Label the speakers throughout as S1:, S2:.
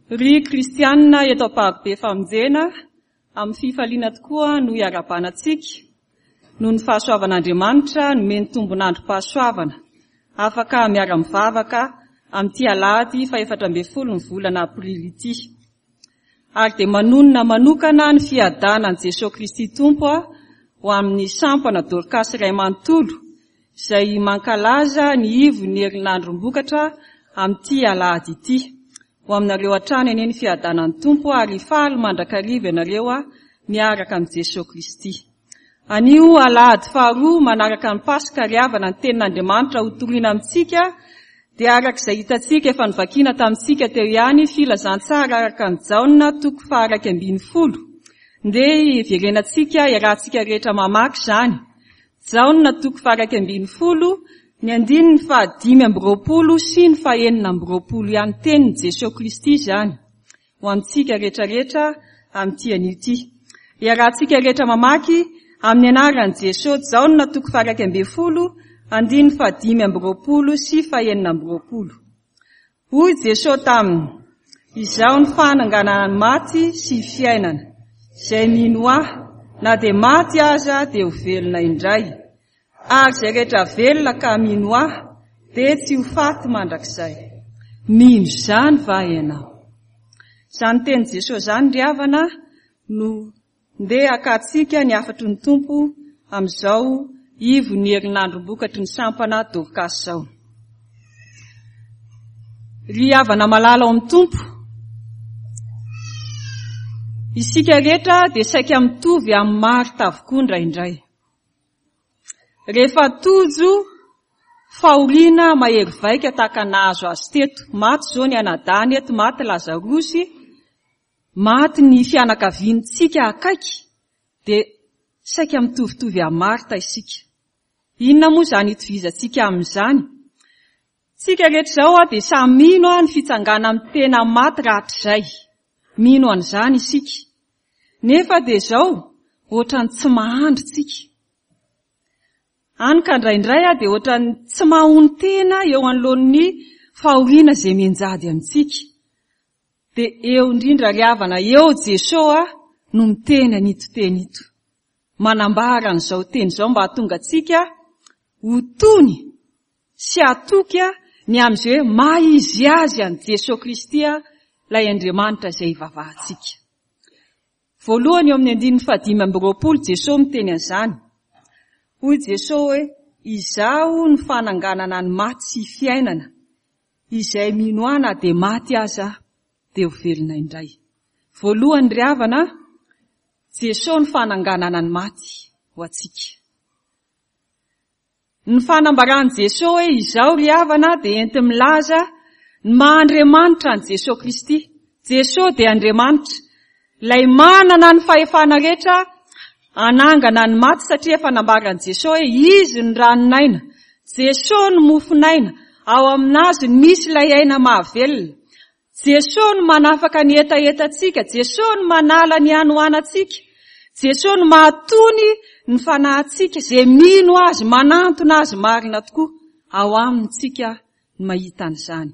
S1: Ry kristianina eto Ampahabe Famonjena, amin'ny fifaliana tokoa no iarahabana antsika noho ny fahasoavan'Andriamanitra nomeny tombon'androm-pahasoavana afaka miara-mivavaka amin'ity alahady faha-14 ny volana aprily ity. Ary dia manonona manokana ny fiadanan'i Jesoa Kristy Tompo ho amin'ny sampana Dorkasy iray manontolo izay mankalaza ny ivon'ny herinandrom-bokatra amin'ity alahady ity. Ho aminareo hatrany anie ny fiadanan'ny Tompo ary hifaly mandrakariva ianareo miaraka amin'i Jesoa Kristy. Anio alahady faharoa manaraka ny Paska ry havana ny tenin'Andriamanitra ho toriana amintsika dia araka izay hitantsika efa novakiana tamintsika teo ihany filazantsara araka an'i Jaona toko faha-11. Ndeha hiverenantsika iarahantsika rehetra mamaky izany. Jaona toko faha-11, ny andininy faha-25 sy ny faha-26 ihany tenin'i Jesoa Kristy izany ho amintsika rehetra rehetra amin'ity anio ity. Iarahantsika rehetra mamaky amin'ny anaran'i Jesoa Jaona toko faha-11, andininy faha-25 sy faha-26. Hoy Jesoa taminy, Izaho no fananganana ny maty sy fiainana. Izay mino Ahy, na dia maty aza dia ho velona indray. Ary izay rehetra velona ka mino Ahy dia tsy ho faty mandrakizay. Mino izany va ianao? Izany tenin'i Jesoa izany ry havana no Ndeha hakantsika ny hafatry ny Tompo amin'izao ivon'ny herinandrom-bokatry ny sampana Dorcas izao. Ry havana malala ao amin'ny Tompo, isika rehetra dia saika mitovy amin'i Marta avokoa indraindray. Rehefa tojo fahoriana mahery vaika tahaka ny nahazo azy teto, maty izao ny anadahiny eto, maty Lazarosy, Maty ny fianakaviantsika akaiky dia saika mitovitovy amin'i Marta isika. Inona moa izany itovizantsika amin'izany? Tsika rehetra izao dia samy mino ny fitsanganan'ny tena maty rahatrizay. Mino an'izany isika. Nefa dia izao, ohatran'ny tsy mahandry tsika. Hany ka indraindray dia ohatran'ny tsy mahonon-tena eo anoloan'ny fahoriana izay mianjady amintsika. Dia eo indrindra ry havana, eo Jesoa no miteny an'ito teny ito. Manambara an'izao teny izao mba hahatonga antsika ho tony sy hatoky ny amin'izay hoe maha izy azy an'i Jesoa Kristy ilay Andriamanitra izay ivavahantsika. Voalohany eo amin'ny andininy fahadimy amby roapolo Jesoa miteny an'izany. Hoy Jesoa hoe, Izaho no fananganana ny maty sy fiainana. Izay mino ahy na dia maty aza dia ho velona indray. Voalohany ry havana, Jesoa no fananganana ny maty ho antsika. Ny fanambaran'i Jesoa hoe izaho ry havana dia enti-milaza ny maha Andriamanitra an'i Jesoa Kristy. Jesoa dia Andriamanitra, ilay manana ny fahefana rehetra hanangana ny maty satria efa nambaran'i Jesoa hoe Izy no ranon'aina, Jesoa no mofon'aina, ao amin'Azy no misy ilay aina mahavelona. Jesoa no manafaka ny hetahetantsika, Jesoa no manala ny hanoanantsika, Jesoa no mahatony ny fanahintsika, izay mino Azy, manantona Azy marina tokoa, ao Aminy tsika no mahita an'izany.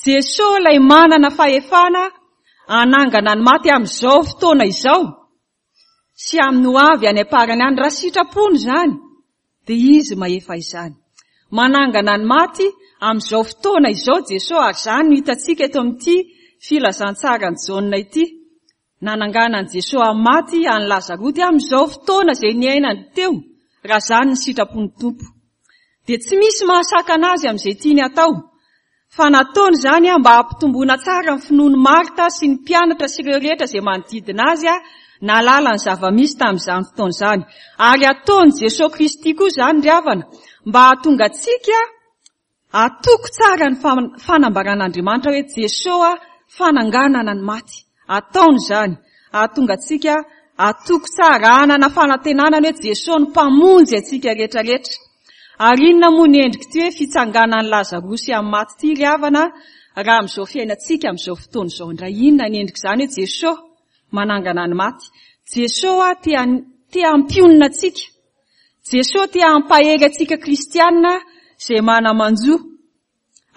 S1: Jesoa ilay manana fahefana hanangana ny maty amin'izao fotoana izao sy amin'ny ho avy any am-parany any, raha sitrapony izany, dia Izy mahefa izany. Manangana ny maty amin'izao fotoana izao Jesoa ary izany no hitantsika eto amin'ity filazantsaran'i Jaona ity. Nanangana an'i Jesoa amin'ny maty an'i Lazaroty amin'izao fotoana izay niainany teo, raha izany ny sitrapon'ny Tompo. Dia tsy misy mahasakana azy amin'izay tiany hatao. Fa nataony izany mba hampitomboana tsara ny finoan'i Marta sy ny mpianatra sy ireo rehetra izay manodidina azy nahalala ny zava-misy tamin'izany fotoana izany. Ary ataon'i Jesoa Kristy koa izany ry havana, mba hahatonga antsika Atoko tsara ny fanambaran'Andriamanitra hoe Jesoa fananganana ny maty. Ataony izany hahatonga antsika atoko tsara, hanana fanantenana ny hoe Jesoa no Mpamonjy antsika rehetra rehetra. Ary inona moa ny endrik'ity hoe fitsanganan'i Lazarosy amin'ny maty ity ry havana raha amin'izao fiainantsika amin'izao fotoana izao indray? Inona ny endrik'izany hoe Jesoa manangana ny maty? Jesoa te te hampionona antsika. Jesoa te hampahery antsika kristiana izay mana-manjo.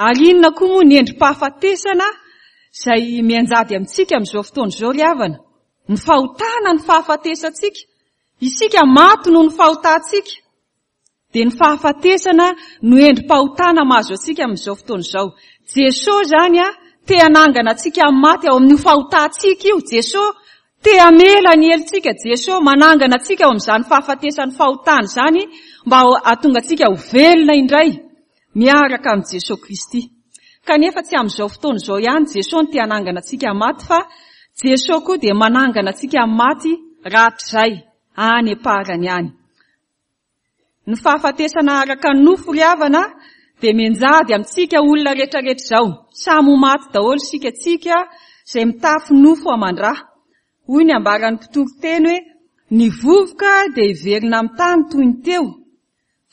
S1: Ary inona koa moa ny endri-pahafatesana izay mianjady amintsika amin'izao fotoana izao ry havana. Ny fahotana ny fahafatesantsika. Isika maty noho ny fahotantsika. Dia ny fahafatesana no endri-pahotana mahazo antsika amin'izao fotoana izao. Jesoa izany te hanangana antsika amin'ny maty ao amin'io fahotantsika io. Jesoa te hamela ny helotsika. Jesoa manangana antsika ao amin'izany fahafatesan'ny fahotana izany mba hahatonga antsika ho velona indray miaraka amin'i Jesoa Kristy. Kanefa tsy amin'izao fotoana izao ihany Jesoa no te hanangana antsika amin'ny maty fa Jesoa koa dia manangana antsika amin'ny maty rahatrizay any am-parany any. Ny fahafatesana araka ny nofo ry havana dia mianjady amintsika olona rehetra rehetra izao. Samy ho maty daholo isika tsika izay mitafy nofo aman-drà. Hoy ny ambaran'ny mpitory teny hoe ny vovoka dia hiverina amin'ny tany toy ny teo,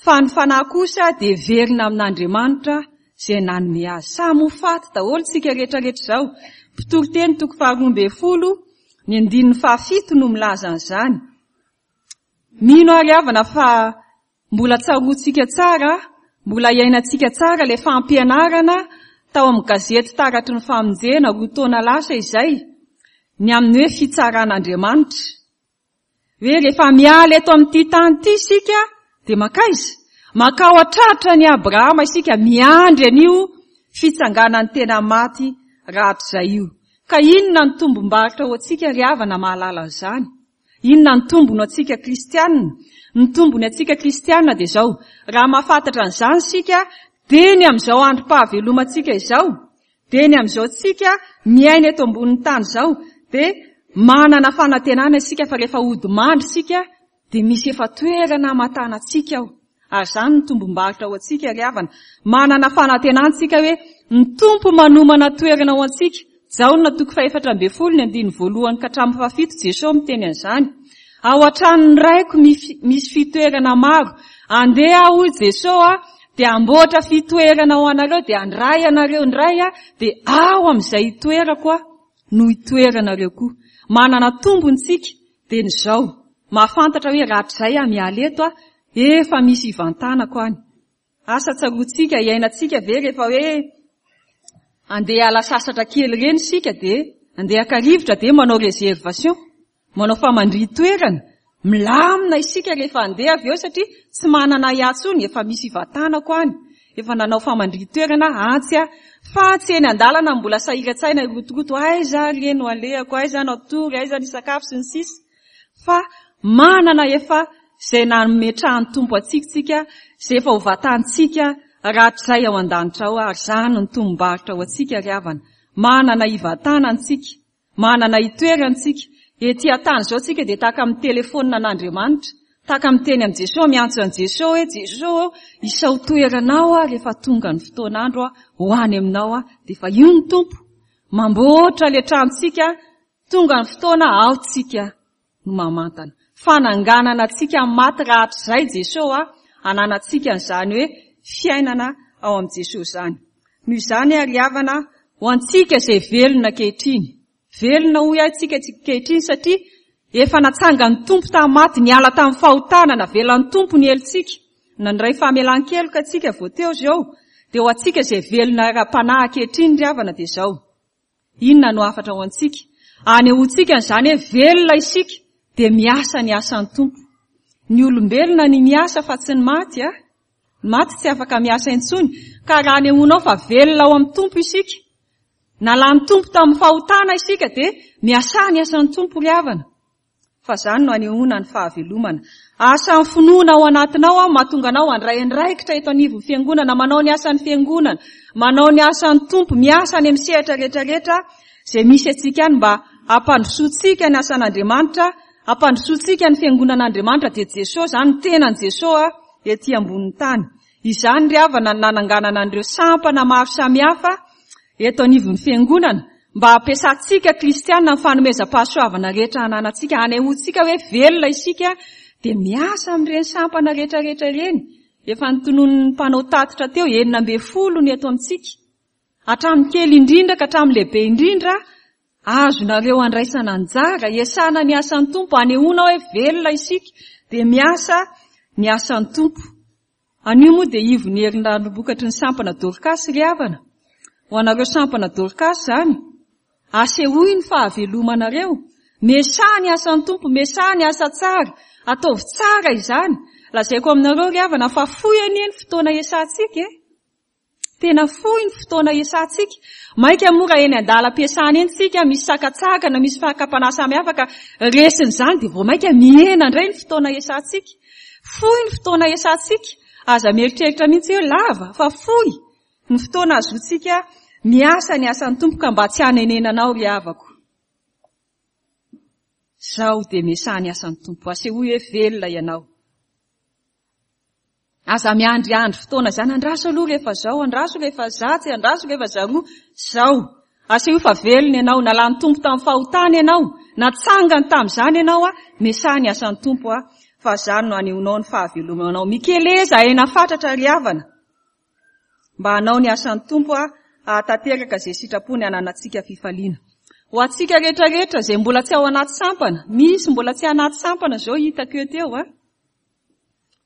S1: fa ny fanahy kosa dia hiverina amin'Andriamanitra izay nanome azy. Samy ho faty daholo isika rehetra rehetra izao. Mpitory teny toko faharoambinifolo, ny andininy fahafito no milaza an'izany. Mino aho ry havana fa mbola tsaroantsika tsara, mbola iainantsika tsara ilay fampianarana tao amin'ny gazety Taratry ny Famonjena roa taona lasa izay, ny amin'ny hoe fitsaran'Andriamanitra. Hoe rehefa miala eto amin'ity tany ity isika dia mankaiza? Mankao an-tratran'i Abrahama isika miandry an'io fitsanganan'ny tena maty rahatrizay io. Ka inona ny tombom-barotra ho antsika ry havana mahalala an'izany? Inona ny tombony ho antsika kristiana? Ny tombony antsika kristiana dia izao, raha mahafantatra an'izany isika, dia ny amin'izao androm-pahavelomantsika izao, dia ny amin'izao tsika miaina eto ambonin'ny tany izao, dia manana fanantenana isika fa rehefa hody mandry isika, dia misy efa toerana hamatana antsika ao. Ary izany no tombom-barotra ho antsika ry havana. Manana fanantenana isika hoe ny Tompo manomana toerana ho antsika. Jaona toko fahefatra ambin'ny folo ny andininy voalohany ka hatramin'ny fahafito Jesoa miteny an'izany. Ao an-tranon'ny Raiko misy fitoerana maro. Andeha aho hoy Jesoa dia hamboatra fitoerana ho anareo dia handray anareo indray aho dia ao amin'izay hitoerako aho no hitoeranareo koa. Manana tombony isika dia ny izao. Mahafantatra hoe rahatrizay aho miala eto aho, efa misy hivantanako any. Asa tsaroantsika, iainantsika ve rehefa hoe andeha hiala sasatra kely ireny isika dia andeha haka rivotra dia manao réservation, manao famandrihan-toerana, milamina isika rehefa andeha avy eo satria tsy manana ahiahy intsony, efa misy hivantanako any, efa nanao famandrihan-toerana aho, antsy aho. Fa tsy eny an-dalana no mbola sahiran-tsaina hirotoroto, aiza ary re no alehako, aiza no hatory, aiza no hisakafo sy ny sisa. Fa manana efa izay nametrahan'ny Tompo antsika isika, izay efa ho vatantsika rahatrizay ao an-danitra ao, ary izany no tombom-barotra ho antsika ry havana. Manana hivatana antsika, manana hitoerana isika. Ety an-tany izao isika dia tahaka amin'ny telefaonina an'Andriamanitra, tahaka miteny amin'i Jesoa, miantso an'i Jesoa hoe, Jesoa ô, isao toeranao aho rehefa tonga ny fotoan'andro aho, ho any aminao aho. Dia efa io ny Tompo, mamboatra ilay tranontsika, Tonga ny fotoana ao tsika no mamantana. Fananganana antsika amin'ny maty rahatrizay Jeso a, ananantsika an'izany hoe fiainana ao amin'i Jeso izany. Noho izany ary havana, ho antsika izay velona ankehitriny, velona hoy aho tsika ankehitriny satria efa natsangan'ny Tompo tamin'ny maty, niala tamin'ny fahotana, navelan'ny Tompo ny helotsika, nandray famelan-keloka tsika vao teo izao, dia ho antsika izay velona ara-panahy ankehitriny ry havana dia izao. Inona no hafatra ho antsika? Anehoantsika an'izany hoe velona isika dia miasa ny asan'ny Tompo. Ny olombelona ny miasa fa tsy ny maty a! Ny maty tsy afaka miasa intsony. Ka raha anehoanao fa velona ao amin'ny Tompo isika, nalan'ny Tompo tamin'ny fahotana isika dia miasà ny asan'ny Tompo ry havana. Fa izany no anehoana ny fahavelomana. Asan'ny finoana ao anatinao aho mahatonga anao handray andraikitra eto anivon'ny fiangonana, manao ny asan'ny fiangonana, manao ny asan'ny Tompo, miasa any amin'ny sehatra rehetra rehetra izay misy antsika any mba hampandrosoantsika ny asan'Andriamanitra, hampandrosoantsika ny fiangonan'Andriamanitra dia Jesoa izany, ny tenan'i Jesoa ety ambonin'ny tany. Izany ry havana no nananganana an'ireo sampana maro samihafa eto anivon'ny Fiangonana mba hampiasantsika kristiana ny fanomezam-pahasoavana rehetra ananantsika, hanehoantsika hoe velona isika dia miasa amin'ireny sampana rehetra rehetra ireny. Efa notononin'ny mpanao tatitra teo, 16 ny eto amintsika. Hatramin'ny kely indrindra ka hatramin'ny lehibe indrindra, azonareo andraisana anjara, iasana ny asan'ny Tompo, hanehoana hoe velona isika dia miasa ny asan'ny Tompo. Anio moa dia ivon'ny herinandrom-bokatry ny sampana Dorkasy ry havana. Ho anareo sampana Dorkasy izany. Asehoy ny fahavelomanareo. Miasaha ny asan'ny Tompo, miasaha ny asa tsara. Ataovy tsara izany. Lazaiko aminareo ry havana fa fohy anie ny fotoana iasantsika e. Tena fohy ny fotoana iasantsika. Mainka moa raha eny an-dalam-piasana eny isika, misy sakantsakana, misy fakam-panahy samihafa ka resin'izany dia vao mainka mihena indray ny fotoana iasantsika. Fohy ny fotoana iasantsika. Aza mieritreritra mihitsy hoe lava fa fohy ny fotoana ahazoantsika miasa ny asan'ny Tompo ka mba tsy hanenenanao ry havako. Izao dia miasaha ny asan'ny Tompo. Asehoy hoe velona ianao. Aza miandriandry fotoana izany, andraso aloha rehefa izao, andraso rehefa zatsy, andraso rehefa zaroa, izao. Asehoy fa velona ianao, nalan'ny Tompo tamin'ny fahotana ianao, natsangany tamin'izany ianao, miasaha ny asan'ny Tompo fa izany no hanehoanao ny fahavelomanao. Mikeleza aina fatratra ry havana mba hanao ny asan'ny Tompo hahatanteraka izay sitrapony hananantsika fifaliana. Ho antsika rehetra rehetra izay mbola tsy ao anaty sampana, misy mbola tsy anaty sampana izao hitako eo teo a.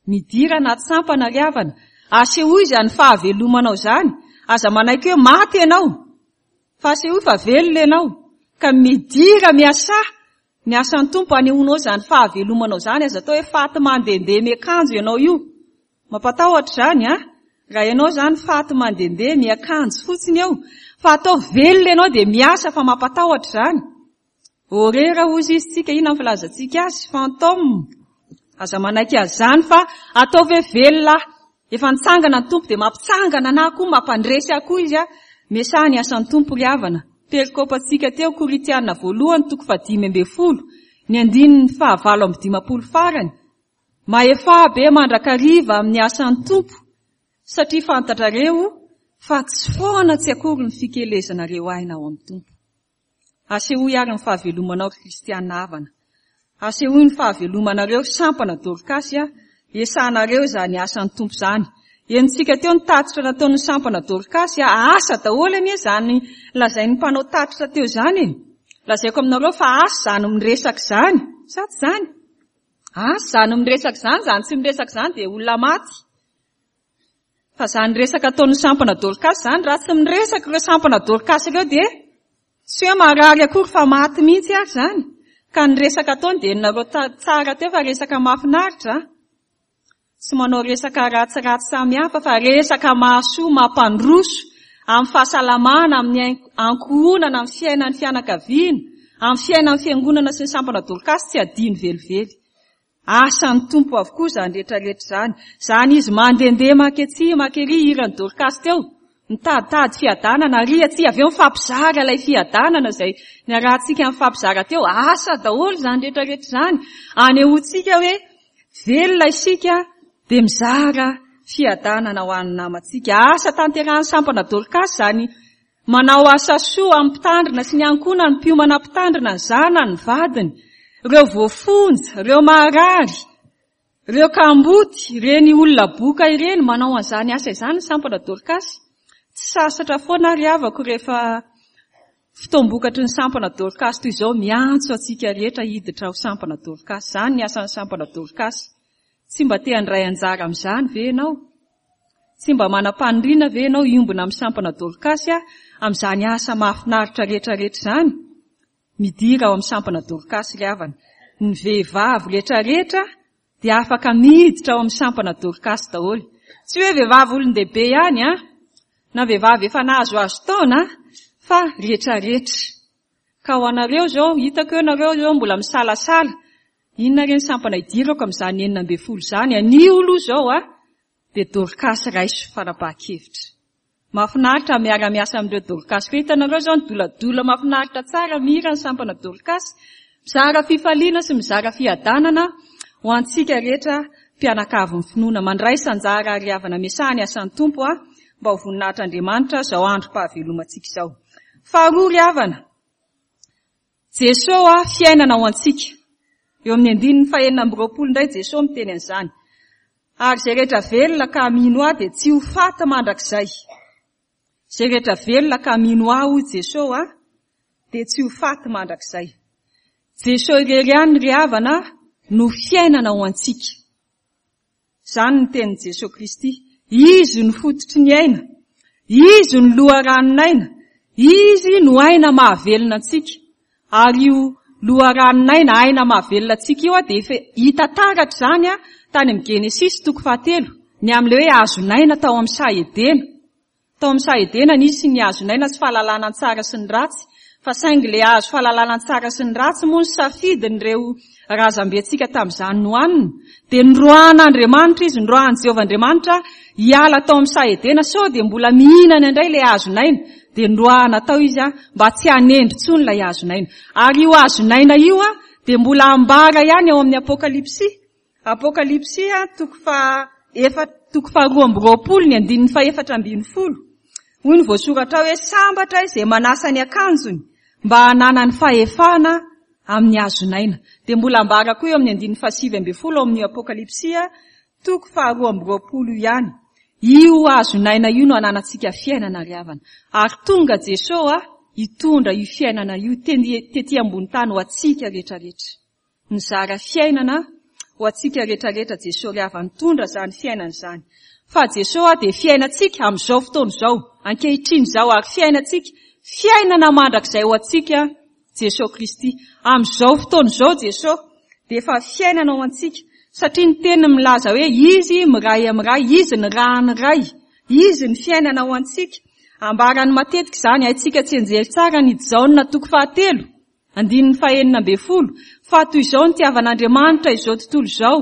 S1: Midira anaty sampana ry havana. Asehoy izany fahavelomanao izany. Aza manaiky hoe maty ianao. Fa asehoy fa velona ianao. Ka midira miasà ny asan'ny Tompo hanehoanao izany fahavelomanao izany. Aza atao hoe faty mandehandeha miakanjo ianao io. Mampatahotra izany an! Raha ianao izany faty mandehandeha miakanjo fotsiny eo. Fa atao velona ianao dia miasa fa mampatahotra izany. Horera hozy izy tsika, inona ny filazantsika azy? Fantôme. Aza manaiky azy izany fa ataovy hoe velona aho. Efa nitsangana ny Tompo dia mampitsangana anah koa, mampandresy ahy koa Izy ah. Miasaha ny asan'ny Tompo ry havana. Perikopantsika teo Korintiana voalohany toko fahadimy ambin'ny folo, ny andininy faha-58 farany. Mahefà be mandrakariva amin'ny asan'ny Tompo satria fantatrareo fa tsy foana tsy akory ny fikelezanareo aina ao amin'ny Tompo. Asehoy ary ny fahavelomanao ry kristiana havana. Asehoy ny fahavelomanareo ry sampana Dorkasy a! Esahanareo izany asan'ny Tompo izany. Henontsika teo ny tatitra nataon'ny sampana Dorkasy a! Asa daholo anie izany lazain'ny mpanao tatitra teo izany e! Lazaiko aminareo fa asa izany miresaka izany. Sa tsy izany? Asa izany miresaka izany, izany tsy miresaka izany dia olona maty. Fa izany resaka ataon'ny sampana Dorcas izany, raha tsy miresaka ireo sampana Dorcas ireo dia tsy hoe marary akory fa maty mihitsy ary izany. Ka ny resaka ataony dia henonareo tsara teo fa resaka mahafinaritra a. Tsy manao resaka ratsiratsy samihafa fa resaka mahasoa, mampandroso amin'ny fahasalamana, amin'ny ankohonana, amin'ny fiainan'ny fianakaviana, amin'ny fiainan'ny fiangonana sy ny sampana Dorcas tsy adino velively. Asan'ny Tompo avokoa izany rehetra rehetra izany. Izany izy mandehandeha manketsy mankery hiran'i Dorcas teo, mitaditady fiadanana ary atsy avy eo mifampizara ilay fiadanana izay niarahantsika nifampizara teo. Asa daholo izany rehetra rehetra izany. Anehoantsika hoe velona isika dia mizara fiadanana ho an'ny namantsika. Asa tanterahan'ny sampana Dorcas izany Manao asa soa amin'ny mpitandrina sy ny ankohonany, mpiomana mpitandrina, ny zanany, ny vadiny, ireo voafonja, ireo marary, ireo kamboty, ireny olona boka ireny, manao an'izany asa izany ny sampana Dorcas. Tsy sasatra foana ary havako rehefa fotoam-bokatry ny sampana Dorcas toy izao miantso antsika rehetra hiditra ho sampana Dorcas. Izany ny asan'ny sampana Dorcas. Tsy mba te handray anjara amin'izany ve ianao? Tsy mba manam-paniriana ve ianao hiombona amin'ny sampana Dorkasy amin'izany asa mahafinaritra rehetra rehetra izany? Midira ao amin'ny sampana Dorkasy ry havana. Ny vehivavy rehetra rehetra dia afaka miditra ao amin'ny sampana Dorkasy daholo. Tsy hoe vehivavy olon-dehibe ihany an, na vehivavy efa nahazoazo taona fa rehetra rehetra. Ka ho anareo izao, hitako eo nareo izao mbola misalasala, inona re ny sampana hidirako amin'izany 16 izany, anio aloha izao a, dia Dorcas raiso fanapahan-kevitra. Mahafinaritra miara-miasa amin'ireo Dorcas ireo, hitanareo izao ny doladola mahafinaritra tsara mihira ny sampana Dorcas, mizara fifaliana sy mizara fiadanana ho antsika rehetra mpianakavin'ny finoana. Mandraisa anjara ary havana miasaha ny asan'ny Tompo a, mba ho voninahitr'Andriamanitra izao androm-pahavelomantsika izao. Faharoa ry havana, Jeso a, fiainana ho antsika. Eo amin'ny andininy fahenina amby roapolo indray Jeso miteny an'izany. Ary izay rehetra velona ka mino ahy dia tsy ho faty mandrakizay. Izay rehetra velona ka mino ahy hoy Jeso a, dia tsy ho faty mandrakizay. Jeso irery ihany ry havana no fiainana ho antsika. Izany ny tenin'i Jesoa Kristy. Izy no fototry ny aina. Izy no loharanon'aina. Izy no aina mahavelona antsika. Ary io loharanon'aina, aina mahavelona antsika io dia efa hita taratra izany tany amin'ny Genesisy toko fahatelo, ny amin'ilay hoe hazon'aina tao amin'ny saha Edena. Tao amin'ny saha Edena nisy ny hazon'aina sy fahalalana ny tsara sy ny ratsy, fa saingy ilay hazo fahalalana ny tsara sy ny ratsy moa nosafidin'ireo razambentsika tamin'izany nohanina, dia noroahan'Andriamanitra izy, noroahan'i Jehovah Andriamanitra hiala tao amin'ny saha Edena sao dia mbola mihinana indray ilay hazon'aina, dia noroahana tao izy mba tsy hanendry intsony ilay hazon'aina. Ary io hazon'aina io dia mbola ambara ihany ao amin'ny Apokalypsy, Apokalypsy toko faha efa toko faha 22 ny andininy faha 14. Hoy ny voasoratra ao hoe sambatra izay manasa ny akanjony mba hananany fahefana amin'ny hazon'aina. Dia mbola ambara koa eo amin'ny andininy faha 19 ao amin'ny Apokalypsy toko faha 22 ihany. Io hazon'aina io no ananantsika fiainana ry havana. Ary tonga Jesoa hitondra io fiainana io tety ambony tany ho antsika rehetrarehetra. Nizara fiainana ho antsika rehetrarehetra Jesoa ry havana, nitondra izany fiainana izany. Fa Jesoa dia fiainantsika amin'izao fotoana izao, ankehitriny izao, ary fiainantsika, fiainana mandrakizay ho antsika Jesoa Kristy. Amin'izao fotoana izao Jesoa dia efa fiainana ho antsika, satria ny teniny milaza hoe Izy miray amin'ny Ray, Izy ny ran'ny Ray, Izy ny fiainana ho antsika. Ambarany matetika izany, haintsika tsianjery tsara ny Jaona toko fahatelo, Andininy fahenina ambin'ny folo, Fa toy izao nitiavan'Andriamanitra izao tontolo izao,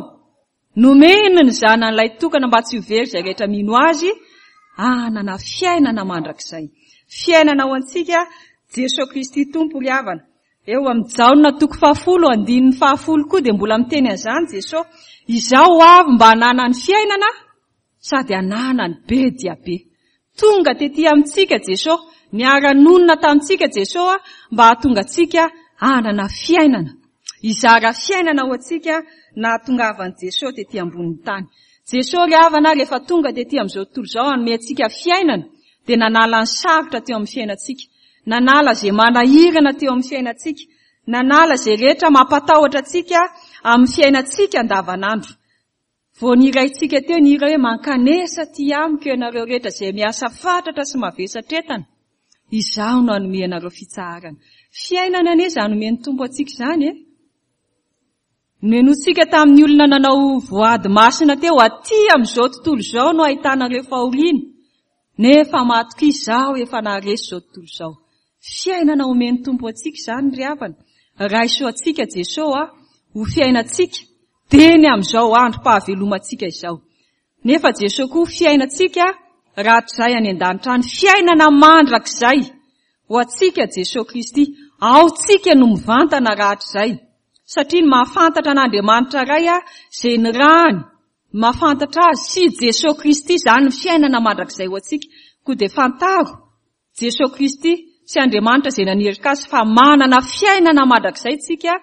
S1: nomeny ny Zanany lahitokana mba tsy ho very izay rehetra mino Azy, hanana fiainana mandrakizay. Fiainana ho antsika, Jesoa Kristy Tompo ry havana. Eo amin'ny Jaona toko fahafolo, andininy fahafolo koa dia mbola miteny an'izany Jesoa, Izaho ho avy mba hananany fiainana, sady ananany be dia be. Tonga tety amintsika Jeso, niara-nonina tamintsika Jeso mba hahatonga antsika hanana fiainana. Hizara fiainana ho antsika nahatongavan'i Jeso tety ambonin'ny tany. Jeso ry havana rehefa tonga tety amin'izao tontolo izao hanome antsika fiainana dia nanala ny sarotra teo amin'ny fiainantsika, nanala izay manahirana teo amin'ny fiainantsika, nanala izay rehetra mampatahotra antsika amin'ny fiainantsika andavanandro. Vao niraintsika teo ny hira hoe Mankanesa aty amiko ianareo rehetra izay miasa fatratra sy mavesatra entana, izaho no hanome anareo fitsaharana. Fiainana anie izany omen'ny Tompo antsika izany e! Nohenointsika tamin'ny olona nanao voady masina teo, aty amin'izao tontolo izao no ahitanareo fahoriana, nefa matokia izaho efa naharesy izao tontolo izao. Fiainana omen'ny Tompo antsika izany ry havana. Raiso antsika Jesoa ho fiainantsika Teny amin'izao androm-pahavelomantsika izao. Nefa Jesoa koa fiainantsika rahatrizay any an-danitra any, fiainana mandrakizay ho antsika Jesoa Kristy. Ao tsika no mivantana rahatrizay. Satria ny mahafantatra an'Andriamanitra Ray izay nirahany, ny mahafantatra Azy sy Jesoa Kristy izany ny fiainana mandrakizay ho antsika. Koa dia fantaro Jesoa Kristy sy Andriamanitra izay naniraka Azy fa manana fiainana mandrakizay tsika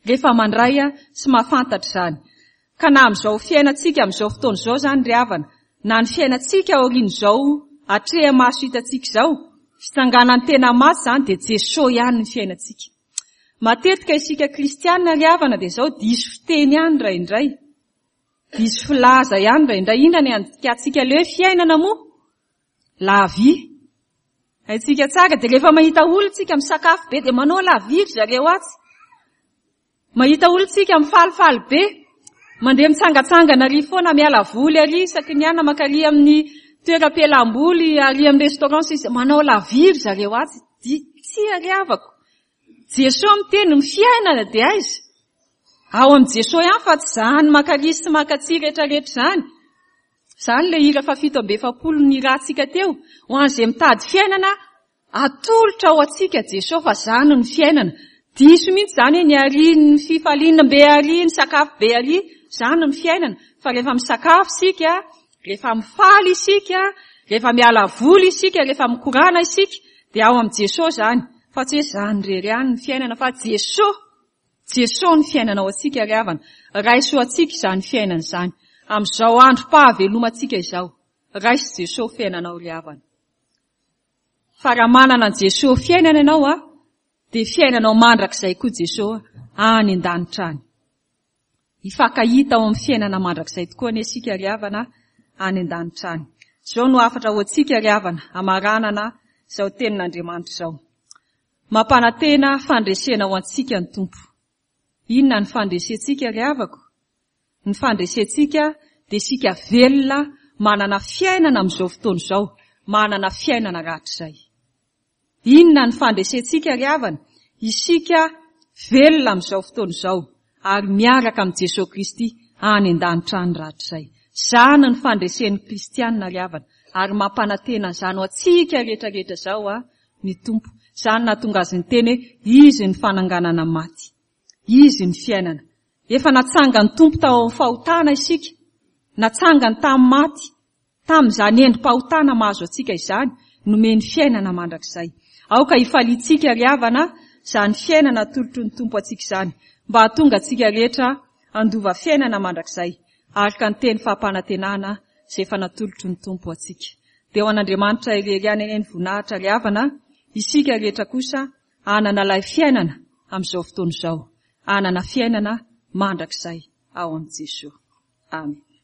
S1: rehefa mandray sy mahafantatra izany. Ka na amin'izao fiainantsika amin'izao fotoana izao izany ry havana, na ny fiainantsika aorian'izao atreha-maso hitantsika izao, fitsanganan'ny tena maty izany dia Jesoa ihany ny fiainantsika. Matetika isika kristiana ry havana dia izao diso fiteny ihany indraindray, diso filaza ihany indraindray. Inona ny andikantsika ilay hoe fiainana moa? La vie. Haintsika tsara dia rehefa mahita olona tsika misakafo be dia manao la vie ry zareo atsy. Mahita olona tsika mifalifaly be, mandeha mitsangatsangana ary foana miala voly ary isaky ny anona mankary amin'ny toeram-pialam-boly ary amin'ny restaurant sisa manao la vie ry zareo atsy. Tsia ry havako. Jesoa miteny ny fiainana dia aiza? Ao amin'i Jesoa ihany fa tsy izany makary sy makatsy rehetrarehetra izany. Izany ilay hira faha 47 nirahantsika teo. Ho an'izay mitady fiainana, atolotra ho antsika Jesoa fa izany no fiainana. Diso mihitsy izany hoe ny ary, ny fifaliana be ary, ny sakafo be ary, izany no fiainana. Fa rehefa misakafo isika, rehefa mifaly isika, rehefa miala voly isika, rehefa mikorana isika, dia ao amin'i Jesoa izany. Fa tsy hoe izany irery ihany ny fiainana fa Jesoa. Jesoa ny fiainana ho antsika ry havana. Raiso ho antsika izany fiainana izany. Amin'izao androm-pahavelomantsika izao. Raiso Jesoa ho fiainanao ry havana. Fa raha manana an'i Jesoa ho fiainana ianao a, dia fiainanao mandrakizay koa Jesoa any an-danitra any. Hifankahita ao amin'ny fiainana mandrakizay tokoa anie isika ry havana any an-danitra any. Izao no hafatra ho antsika ry havana, hamaranana. izao tenin'Andriamanitra izao. Mampanantena fandresena ho antsika ny Tompo. Inona ny fandresentsika ry havako? Ny fandresentsika dia isika velona manana fiainana amin'izao fotoana izao, manana fiainana rahatrizay. Inona ny fandresentsika ry havana? Isika velona amin'izao fotoana izao ary miaraka amin'i Jesoa Kristy any an-danitra any rahatrizay. Izany ny fandresen'ny kristiana ry havana ary mampanantena an'izany ho antsika rehetra rehetra izao ny Tompo. Izany nahatonga Azy niteny hoe Izy ny fananganana maty. Izy ny fiainana. Efa natsangan'ny Tompo tao amin'ny fahotana isika. Natsangany tamin'ny maty. Tamin'izany endri-pahotana mahazo antsika izany, nomeny fiainana mandrakizay. Aoka hifaliantsika ry havana izany fiainana atolotry ny Tompo antsika izany, mba hahatonga antsika rehetra handova fiainana mandrakizay, araka ny teny fampanantenana izay efa natolotry ny Tompo antsika. Dia ho an'Andriamanitra irery ihany anie ny voninahitra ry havana, isika rehetra kosa hanana ilay fiainana amin'izao fotoana izao, hanana fiainana mandrakizay ao amin'i Jesoa. Amen.